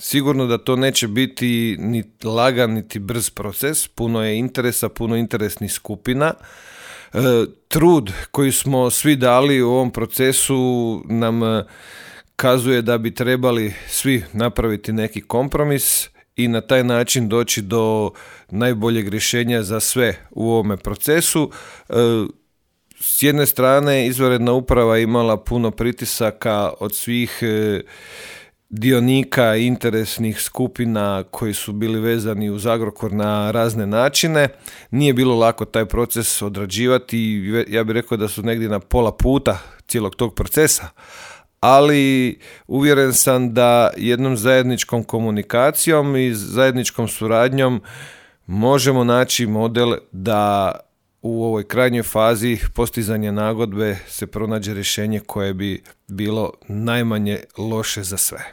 Sigurno da to neće biti ni lagan, niti brz proces, puno je interesa, puno interesnih skupina. Trud koji smo svi dali u ovom procesu nam kazuje da bi trebali svi napraviti neki kompromis i na taj način doći do najboljeg rješenja za sve u ovome procesu. S jedne strane, izvanredna uprava imala puno pritisaka od svih dionika, interesnih skupina koji su bili vezani uz Agrokor na razne načine. Nije bilo lako taj proces odrađivati i ja bih rekao da su negdje na pola puta cijelog tog procesa. Ali uvjeren sam da jednom zajedničkom komunikacijom i zajedničkom suradnjom možemo naći model da u ovoj krajnjoj fazi postizanja nagodbe se pronađe rješenje koje bi bilo najmanje loše za sve.